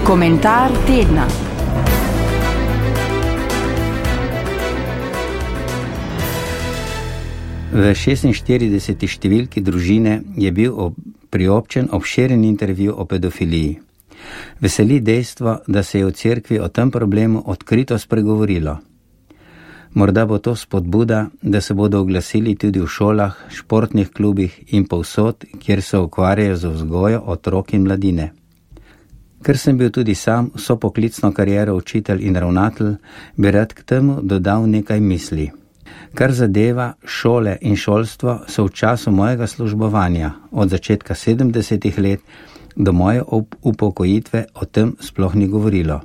Komentar tedna. V 46. številki Družine je bil priobčen obširen intervju o pedofiliji. Veseli dejstvo, da se je v cerkvi o tem problemu odkrito spregovorilo. Morda bo to spodbuda, da se bodo oglasili tudi v šolah, športnih klubih in povsod, kjer se ukvarjajo z vzgojo otrok in mladine. Ker sem bil tudi sam vso poklicno kariero učitelj in ravnatelj, bi rad k temu dodal nekaj misli. Kar zadeva šole in šolstvo, so v času mojega službovanja, od začetka 70. let do moje upokojitve, o tem sploh ni govorilo.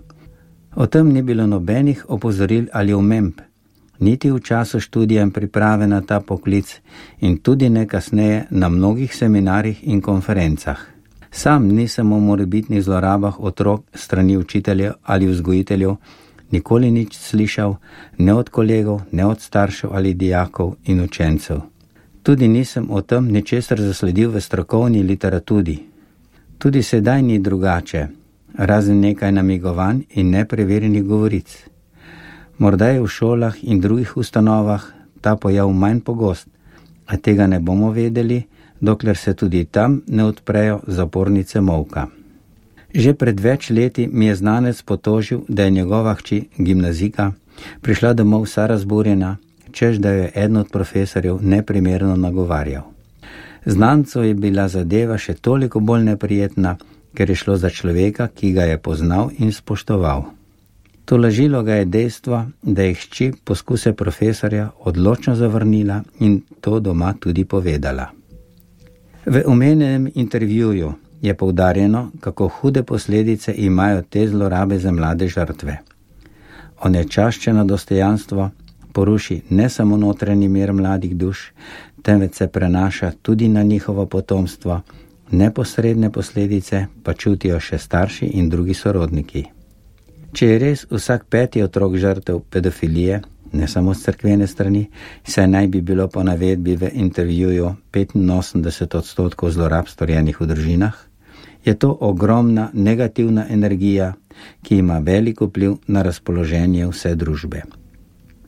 O tem ni bilo nobenih opozoril ali omemb, niti v času študija in priprave na ta poklic in tudi ne kasneje na mnogih seminarjih in konferencah. Sam nisem o morebitnih zlorabah otrok strani učiteljev ali vzgojiteljev nikoli nič slišal, ne od kolegov, ne od staršev ali dijakov in učencev. Tudi nisem o tem ničesar zasledil v strokovni literaturi. Tudi sedaj ni drugače, razen nekaj namigovanj in nepreverjenih govoric. Morda je v šolah in drugih ustanovah ta pojav manj pogost, a tega ne bomo vedeli, dokler se tudi tam ne odprejo zapornice molka. Že pred več leti mi je znanec potožil, da je njegova hči, gimnazijka, prišla domov vsa razburjena, češ da jo je eden od profesorjev neprimerno nagovarjal. Znancu je bila zadeva še toliko bolj neprijetna, ker je šlo za človeka, ki ga je poznal in spoštoval. Tolažilo ga je dejstvo, da je hči poskuse profesorja odločno zavrnila in to doma tudi povedala. V omenjenem intervjuju je poudarjeno, kako hude posledice imajo te zlorabe za mlade žrtve. Onečaščeno dostojanstvo poruši ne samo notranji mir mladih duš, temveč se prenaša tudi na njihovo potomstvo, neposredne posledice pa čutijo še starši in drugi sorodniki. Če je res vsak 5. otrok žrtev pedofilije, ne samo z cerkvene strani, saj naj bi bilo po navedbi v intervjuju 85% zlorab storjenih v družinah, je to ogromna negativna energija, ki ima velik vpliv na razpoloženje vse družbe.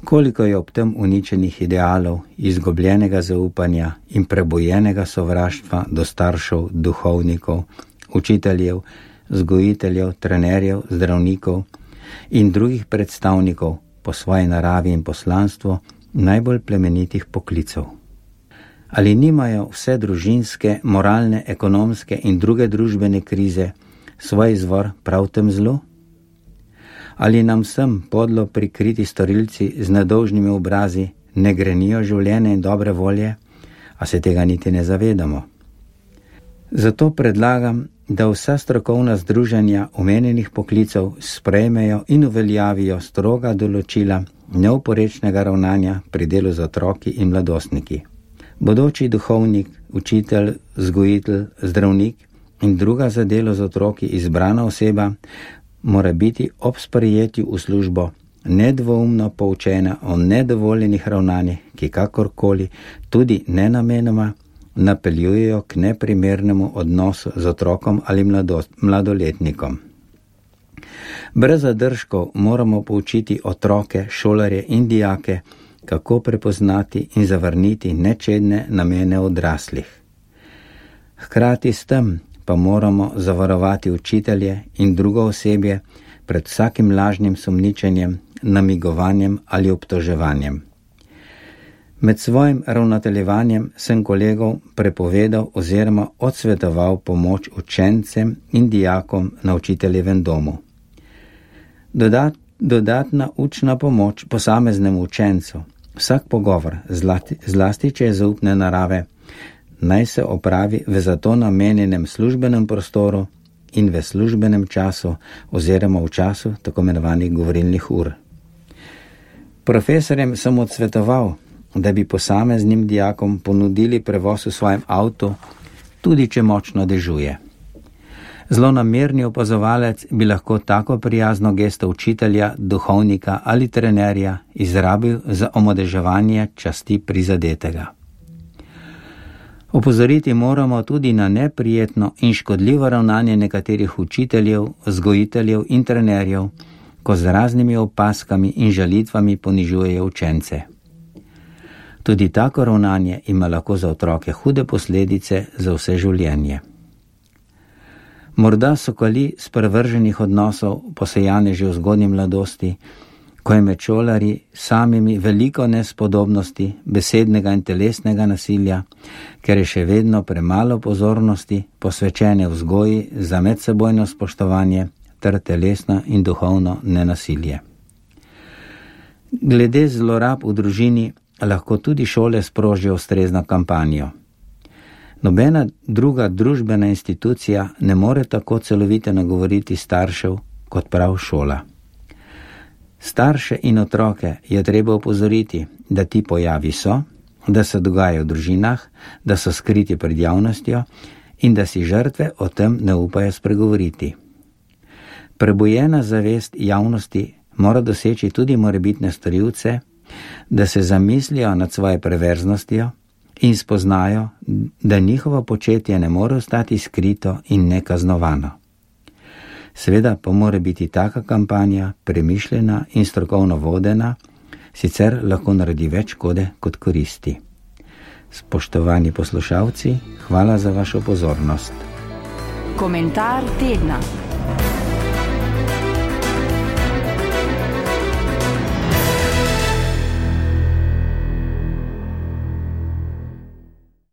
Koliko je ob tem uničenih idealov, izgubljenega zaupanja in prebojenega sovraštva do staršev, duhovnikov, učiteljev, vzgojiteljev, trenerjev, zdravnikov in drugih predstavnikov po svoji naravi in poslanstvu najbolj plemenitih poklicev. Ali nimajo vse družinske, moralne, ekonomske in druge družbene krize svoj izvor prav v tem zlu? Ali nam vsem podlo prikriti storilci z nedolžnimi obrazi ne grenijo življenja in dobre volje, a se tega niti ne zavedamo? Zato predlagam, da vsa strokovna združenja omenjenih poklicev sprejmejo in uveljavijo stroga določila neoporečnega ravnanja pri delu z otroki in mladostniki. Bodoči duhovnik, učitelj, vzgojitelj, zdravnik in druga za delo z otroki izbrana oseba mora biti ob sprejetju v službo nedvoumno poučena o nedovoljenih ravnanjih, ki kakorkoli, tudi nenamenoma, napeljujejo k neprimernemu odnosu z otrokom ali mladoletnikom. Brez zadržkov moramo poučiti otroke, šolarje in dijake, kako prepoznati in zavrniti nečedne namene odraslih. Hkrati s tem pa moramo zavarovati učitelje in drugo osebje pred vsakim lažnim sumničenjem, namigovanjem ali obtoževanjem. Med svojim ravnateljevanjem sem kolegov prepovedal oziroma odsvetoval pomoč učencem in dijakom na učiteljevem domu. Dodatna učna pomoč posameznemu učencu, vsak pogovor, zlasti če je zaupne narave, naj se opravi v zato namenjenem službenem prostoru in v službenem času oziroma v času tako imenovanih govorilnih ur. Profesorjem sem odsvetoval, da bi posameznim dijakom ponudili prevoz v svojem avtu, tudi če močno dežuje. Zlonamerni opazovalec bi lahko tako prijazno gesto učitelja, duhovnika ali trenerja izrabil za omadeževanje časti prizadetega. Opozoriti moramo tudi na neprijetno in škodljivo ravnanje nekaterih učiteljev, vzgojiteljev in trenerjev, ko z raznimi opazkami in žalitvami ponižujejo učence. Tudi tako ravnanje ima lahko za otroke hude posledice za vse življenje. Morda so kali sprevrženih odnosov posejane že v zgodnji mladosti, ko je med šolarji samimi veliko nespodobnosti, besednega in telesnega nasilja, ker je še vedno premalo pozornosti posvečene vzgoji za medsebojno spoštovanje ter telesno in duhovno nenasilje. Glede zlorab v družini lahko tudi šole sprožijo ustrezno kampanjo. Nobena druga družbena institucija ne more tako celovito nagovoriti staršev kot prav šola. Starše in otroke je treba opozoriti, da ti pojavi so, da se dogajajo v družinah, da so skriti pred javnostjo in da si žrtve o tem ne upajo spregovoriti. Prebujena zavest javnosti mora doseči tudi morebitne storilce, da se zamislijo nad svojo perverznostjo in spoznajo, da njihovo početje ne more ostati skrito in nekaznovano. Seveda pa mora biti taka kampanja premišljena in strokovno vodena, sicer lahko naredi več škode kot koristi. Spoštovani poslušalci, hvala za vašo pozornost. Komentar tedna.